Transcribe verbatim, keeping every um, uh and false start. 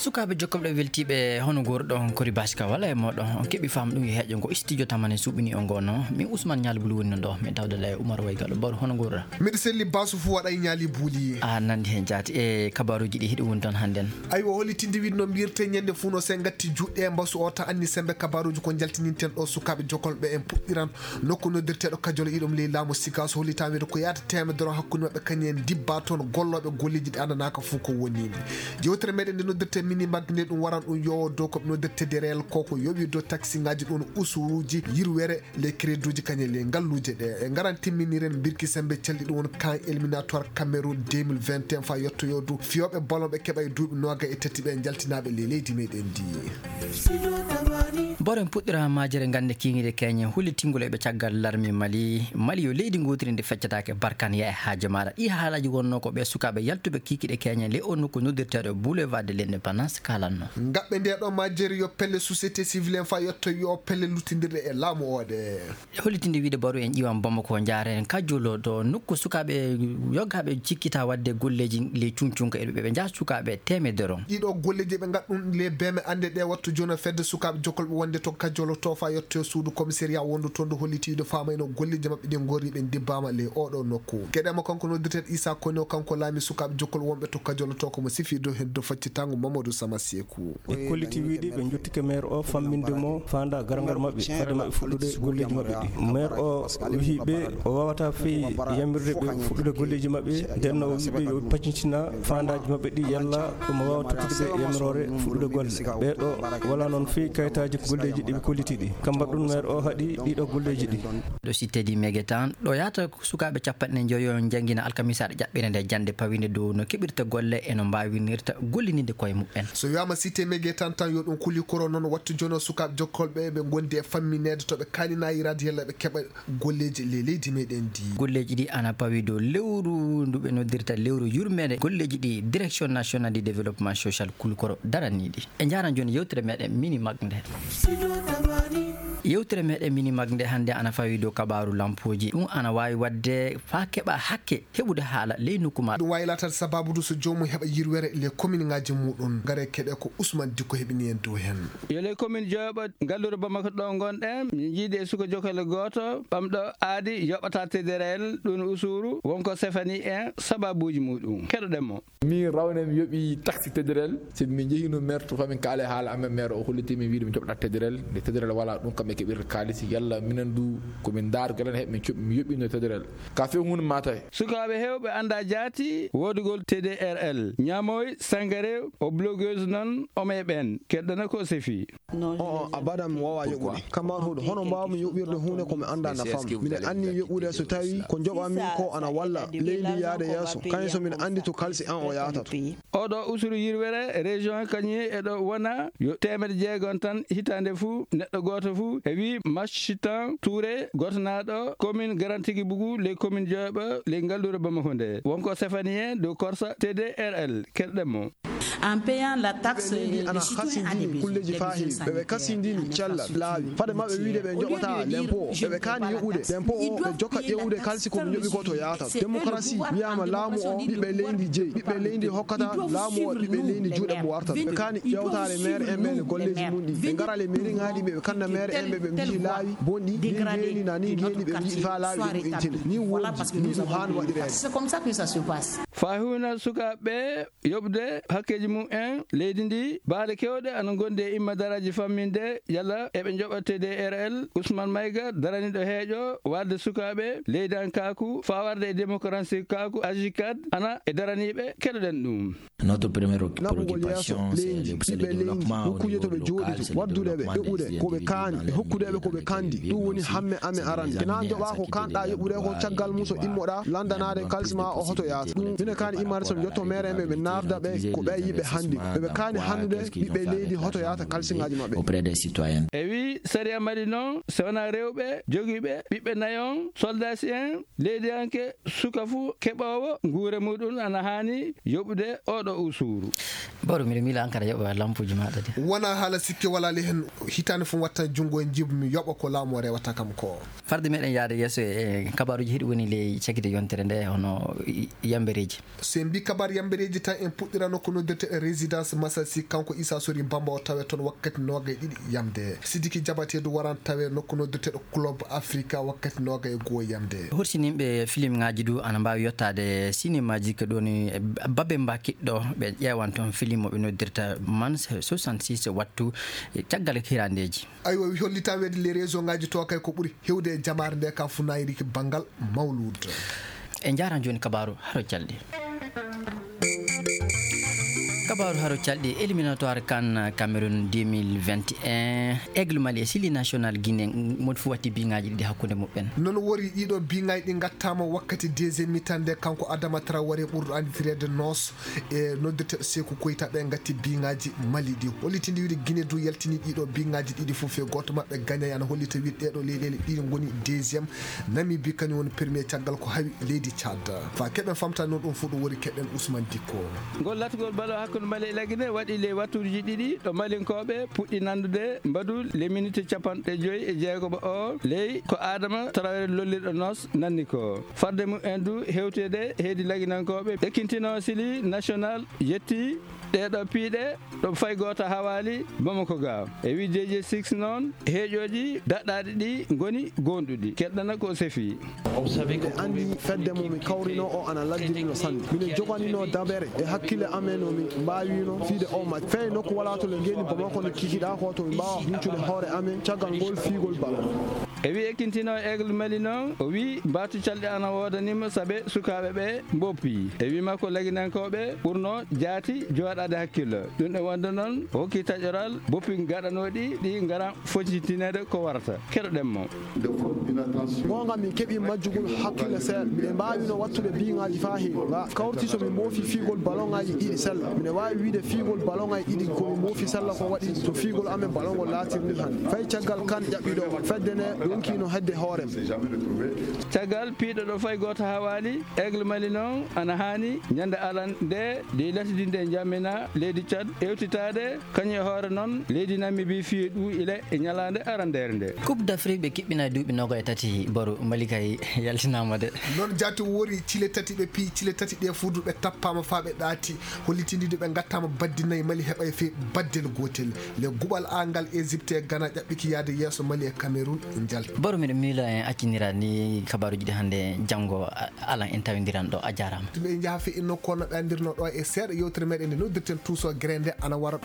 Sukaaɓe jokkolɓe weltiiɓe, hono nguurɗon? Kori Baasi ka wala e mooɗon, on keɓi faamu ɗum e heeƴo ngo studio tamane suuɓini on ngono. Min Ousmane Ñaali Bulu woni non ɗo, min tawde la e Umar Waygaɗo Baro, hono nguurɗa? Miɗo selli Basu fu waɗa e Ñaali Buli. A nandi heen jaati e kabaaruuji ɗi hiɗi woni toon hannden. Aywa, hollitinde wiide no mbiyirte ñande fuu no se ngatti juuɗe e mbasu o ta anni sembe kabaaruuji ko njaltininten ɗo sukaaɓe jokkolɓe en puɗɗiran nokku noddirteeɗo Kajolo iɗum ley laamu Sigaas, hollitaa wiide ko yaata teemedere hakkunde maɓɓe kañum en dibba toon gollooɓe golleeji ɗi anndanaka fuu ko woni. Yewtere meɗen nde noddirte mini mag nde ɗum waran ɗum yowo dow ko ɓe noddirte dereyal ko ko yowi dow taksiŋaaji ɗum usuruuji yirwere les crédits uji kañum les ngalluuje ɗe. E ngaran timminiren mbirki sembe calɗi ɗum won kan éliminatoire Cameroun deux mille vingt et un fa yettoyo dow fiyooɓe ballon ɓe keɓa e duuɓi nooga e tati ɓe njaltinaaɓe le leydi meɗen ndi. Baro en puɗɗira majere ngannde kiikiiɗe keñe, hullitingol e ɓe caggal larmi Mali. Mali yo leydi ngootiri ndi feccataake barkan ya e haaje maɗa. Ɗi haalaaji wonno ko ɓe sukaaɓe yaltuɓe kiikiiɗe keñe le o nokku noddirteeɗo Boulevard de l'Indépendance kaalanno. Ngaɓɓe nde ɗo majere yo pelle société civile en fa yetto yo pelle luttindirɗe e laamu o ɗe. Hollitinde wiide Baro en ƴiwan Bamako njaaren Kajolo to nokku sukaaɓe yoggaaɓe cikkita waɗde golleeji le cuncunka e ɓe njaha sukaaɓe teemedere on. Ɗiɗo golleeji ɓe ngaɗ ɗum le beme annde ɗe wattu jono fedde sukaaɓe jokkolɓe wonde to Kajolo to fa yetto suudu commissariat wondu toon ndu holliti wiide faamayno golleeji maɓɓe ɗi ngorri ɓe ndibbaama le oɗo nokku. Keɗema kanko noddirteeɗo Issa Kone o kanko laami sukaaɓe jokkol wonɓe to Kajolo to ko mo sifi dow heddo faccitango Mamadou Sama Seku. Ɓe kolliti wiide ɓe njottike maire o famminde mo faanda garangol maɓɓe fade maɓɓe fuɗɗude golleeji maɓɓe ɗi. Maire o wihi ɓe o wawata fey yamirde ɓe fuɗɗude golleeji maɓɓe, nden no o wiɓe yo paccintina faandaaji maɓɓe ɗi yalla ɗum wawa tottude ɓe yamiroore fuɗɗude golle. Ɓeeɗo wala noon fey kayitaaji golleeji ɗi ɓe kolliti ɗi. Kam mbaɗ ɗum maire o haɗi ɗiɗo golleeji ɗi. Ɗo si tedi megetan ɗo yahata sukaaɓe capanɗe njoyo njangina alkamisaɗo ƴaɓɓire nde jannde pawinde dow no keɓirta golle e no mbaawinirta gollininde koye muɓɓen. So wiyaama cité megetan tan yo ɗum kuli koro noon wattu jono sukaaɓe jokkolɓe ɓe ngondi e fammineede to ɓe kaaninayiraade yalla ɓe keɓa golleeji le leydi meɗen ndi. Golleeji ɗi ana pawi dow lewru ndu ɓe noddirta lewru yurmeende golleeji ɗi direction nationale du développement social kuli koro daraniiɗi. E njaran jooni yewtere meɗen mini mag nde. Yewtere meɗen mini mag nde hannde ana fawi dow kabaaru lampooji. Ɗum ana waawi waɗde faa keɓa hakke heɓude haala ley nokku ma. Ɗum waawi laataade sabaabu du so joomum heɓa yirwere le commune ŋaaji muɗum. Ngare keɗe ko Ousmane Dikko heɓini en dow heen. Yo le commune jooɓo ngallure Bamako ɗo ngonɗen. Min njiidi e suka jokale gooto ɓamɗo aadi yoɓata tederel ɗum usuru wonko sefani en sababuuji muɗum. Keɗoɗen mo. Min rawne mi yoɓi taxi tederel, sabi min njehino maire to famin kaale haala amen maire o holliti min wiide min joɓɗa tederel. Nde tederel wala ɗum kamɓe keɓirta kaalisi yalla minen du ko min ndaar galen heɓ min coɓi mi yoɓino tederel. Ka fe hunde mata. Sukaaɓe hewɓe anda jaati wodugol T D R L. Ñamoy Sangare o blogueuse non o me ɓen keddana ko sefi. On abadan mi wawa yoɓude. Kamar huɗo hono mbawmi yoɓirde hunde ko mi anda nafam. Mine anni yoɓude so tawi ko joɓami ko ana walla leydi yaade yeeso. Kañum so mine andi to kalsi an o yahata to. Oɗo usuru yirwere région kañum e ɗo wona yo teemedde jeegom tan hitande fuu neɗɗo gooto fuu e wi Machitan Touré gotanaɗo commune Garantigi Bougou les commune joyɓe les ngallure Bamako nde wonko sefani en dow korsa T D R L keɗɗen mo. En payant la taxe, leydi ana hasindini kulleji faa heewi ɓeɓe kasindini cellal laawi fade maɓɓe wiide ɓe joɓata lempo o ɓeɓe kaani yoɓude lempo o ɓe jokka ƴeewude kalsi ko ɓe joɓi ko to yaata démocratie wiyama laamu o ɓiɓɓe leydi jeyi ɓiɓɓe leydi hokkata laamu o ɓiɓɓe leydi juuɗe mo wartata ɓe kaani ƴewtaale maire en ɓe ne golleji mum ɗi ɓe ngara le mairie ŋaaɗi ɓe ɓe kanda maire en ɓe ɓe mbiyi laawi bonɗi ni ngeeni na ni ngeeni ɓe mbiyi faa laawi ɗum intine ni wonji ni ɗum haani waɗireede. Faa huuna sukaaɓe yoɓde hakkeeji mum en leydi ndi baale kewɗe ana ngondi e immadaraaji famminde yalla eɓe njoɓa T D R L Ousmane Maïga daraniiɗo heeƴo warde sukaaɓe leydankaaku faa warde e démocratie kaaku ajikad ana e daraniiɓe keɗoɗen ɗum. Naɓugol yeeso leydi ɓiɓɓe leydi nokkuuje to ɓe jooɗi to waddude ɓe yoɓude ko ɓe kaani e hokkude ɓe ko ɓe kandi ɗum woni hamme amen arande kena joɓa ko kanɗa yoɓude ko caggal mum so immoɗa landanaade kalsi ma o hoto yaata ɗum mine kaani immade so mi yetto meere en ɓe ɓe naarda ɓe ko ɓe yiɓe hannde ɓeɓe kaani hannude ɓiɓɓe leydi hoto yaata kalsiŋaaji maɓɓe. E wi sariya mali noon so wona rewɓe jogiiɓe ɓiɓɓe nayon soldasi en leydiyanke suka fuu keɓoowo nguure muɗum ana haani yoɓude oɗo usuru. Baro, miɗo miila an kadi a yoɓa lampuuji maaɗa de. Wonaa haala sikke walaali heen, hitaande fof mi wattan junngo e njiiba mi yoɓa ko laamu o rewata kam ko. Farde meɗen yahde yeeso e kabaaruuji, hiɗo woni ley cagite yontere nde hono yambereeji. So en mbii kabaar yambereeji tan, en puɗɗirano ko noddirte e résidence Masasi, kanko Issa Sori Bamba o tawe toon wakkati noogay ɗiɗi yamde. Sidiki Jabateedu waran tawe nokku noddirteeɗo Club Africa wakkati noogay e goo yamde. Horsinimɓe filimŋaaji du ana mbaawi yottaade sinimaaji ko ɗoon e babe mbakiɗɗo, ɓe ƴeewan toon filim mo ɓe noddirta Man soixante-six wattu caggal hirandeeji. Aywa, wi hollitan weede les réseau ngaaji to kay ko ɓuri hewde e jamaare nde ka funaayri ki banngal Mawluud. En njaaran jooni kabaaru haro calɗi. Kabaaru haro calɗi, éliminatoire CAN Cameroun deux mille vingt et un, Aigle Mali e Sili National Guinée, moni fof watti biŋaaji ɗiɗi hakkunde muɓɓen. Noon wori ɗiɗo biŋaaji ɗi ngattaama wakkati deuxième mi-temps nde kanko Adama Traoré ɓurɗo anndireede Noos e noddirteeɗo Seeku Koyta ɓe ngatti biŋaaji Mali ɗi. Hollitinde wiide Guinée du yaltini ɗiɗo biŋaaji ɗiɗi fof e gooto maɓɓe gañay ana hollita wiide ɗeɗo leyɗeele ɗiɗi ngoni deuxième. Namibie kañum woni premier caggal ko hawi leydi Tchad. Fa keɓen famta noon ɗum fof ɗo wori keɗen Ousmane Dicko. Ngol latgol balo hakkunde Mali e Lagine waɗi ley wattuuji ɗiɗi ɗo Malinkooɓe puɗɗi nandude mbadu le minute capanɗe joyi e jeegoɓo o ley ko Adama Traoré lollirɗo Noos nanni ko. Farde mumen du hewtede heedi Laginankooɓe ekkintino Sili National yetti ɗeɗo piiɗe ɗo fay gooto hawaali Bamako ga. E wi D J six noon, heeƴooji daɗɗaaɗi ɗi ngoni goonɗuɗi. Keɗɗana ko sefi. Ɓe anndi fedde mo mi kawrino o ana laggirino sanne. Mino joganino dabere e hakkille amen no mi mbaawino fiide o match. Fey nokku walaa to le ngeeni Bamako no kikiɗaa ko to mi mbaawa huucude hoore amen caggal ngol fiigol balo. E wi ekkintino Aigle Mali noon, o wi mbaatu calɗi ana woodanimo sabe sukaaɓe ɓe mboppi. E wi makko laginankooɓe ɓurno jaati jooɗaade hakkillo. Ɗum ɗo wonde noon, o hokki taƴoral boppi gaɗanooɗi ɗi ngaran fotitineede ko warata. Keɗoɗen mo. Goonga min keɓi majjugol hakkille seeɗa. Miɗen mbaawino wattude biŋaaji faa heewi. Nga kawriti so min mboofi fiigol baloŋaaji ɗiɗi sella. Miɗen waawi wiide fiigol baloŋaaji ɗiɗi ko min mboofi sella ko waɗi to fiigol amen baloŋol laatirni hannde. Fay caggal kan ƴaɓɓiɗo fedde nde ɗonkino hedde hoorem. Caggal piiɗo ɗo fay gooto hawaali, Aigle Mali noon ana haani ñande alan nde ɗi latidinde njamina leydi Tchad ewtitaade. Kañum e hoore noon, leydi Namibie fii ɗum ila e ñalaande arandeere nde. Coupe d'Afrique ɓe kiɓɓina duuɓi noga e tati, Baro, Mali kay yaltinaama de. Noon jaati wori cile tati ɓe pii, cile tati ɗe fuudu ɓe tappaama faa ɓe ɗaati, hollitindii ɓe ngattaama baddi nayi, Mali heɓay fii baddel gootel. Le guɓal A ngal Égypte e Ghana ƴaɓɓiki yahde yeeso, Mali e Cameroun njalti. Baro, miɗo miila en accinira ni kabaaruuji ɗi hannde, janngo a-, alan en tawindiran ɗo. A jaaraama. Ɓe njaha fii inno kono ɓe anndirno ɗo e seeɗa yewtere meɗen nde noddirten Tuuso Gere nde ana wara.